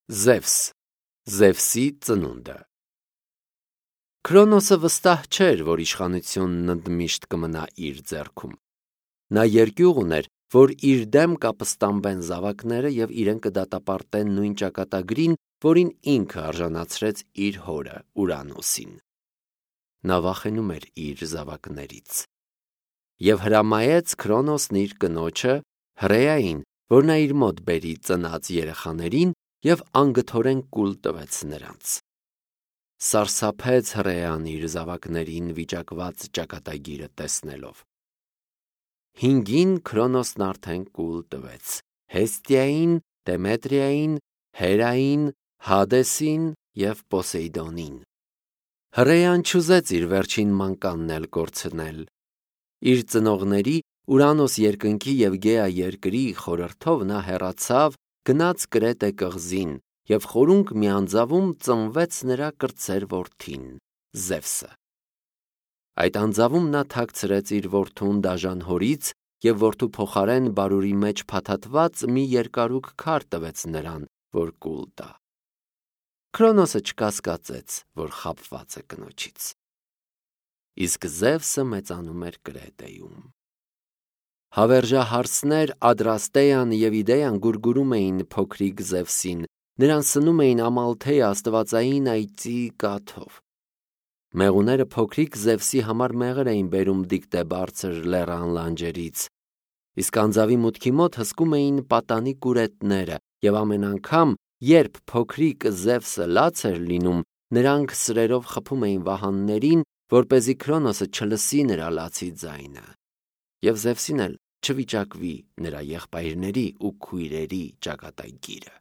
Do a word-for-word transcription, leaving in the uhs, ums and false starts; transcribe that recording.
Զևս, Զևսի ծնունդը։ Քրոնոսը վստահ չէր, որ իշխանությունն ընդմիշտ կմնա իր ձեռքում։ Նա երկյուղ ուներ, որ իր դեմ կապստամբեն զավակները և իրեն կդատապարտեն նույն ճակատագրին, որին ինքը արժանացրեց իր հորը Ուրանոսին։ Նա վախենում էր իր զավակներից և հրամայեց Քրոնոսն իր կնոջը Հռեային, որ նա իր մոտ բերի ծնած երեխաներին և անգթորեն կուլ տվեց նրանց։ Սարսափեց Հռեան իր զավակներին վիճակված ճակատագիրը տեսնելով։ Հինգին Քրոնոսն արդեն կուլ տվեց Հեստիային, Դեմետրիային, Հերային, Հադեսին և Պոսեյդոնին։ Հռեան չուզեց իր վերջին մանկանն էլ կորցնել։ Իր ծնողների Ուրանոս երկնքի և Գեա երկրի խորհրդով նա հեռացավ, գնաց Կրետե կղզին և խորունկ մի անձավում ծնվեց նրա կրտսեր որդին՝ Զևսը։ Այդ անձավում նա թաքցրեց իր որդուն դաժան հորից և որդու փոխարեն բարուրի մեջ փաթաթված մի երկարուկ քար տվեց նրան, որ կուլ տա։ Քրոնոսը չկասկածեց, որ խաբված է կնոջից։ Իսկ Զևսը մեծանում էր Կրետեում։ Հավերժահարսներ Ադրաստեան և Իդեան գուրգուրում էին փոքրիկ Զևսին, նրան սնում էին Ամալթեա աստվածային այծի կաթով։ Մեղուները փոքրիկ Զևսի համար մեղր էին բերում Դիկտե բարձր լեռան լանջերից, իսկ անձավի մուտքի մոտ հսկում էին պատանի կուրետները, և ամեն անգամ, երբ փոքրիկ Զևսը լաց էր լինում, նրանք սրերով խփում էին վահաններին, որպեսզի Քրոնոսը չլսի նրա լացի ձայնը, և Զևսին էլ չվիճակվի նրա եղբայրների ու քույրերի ճակատագիրը։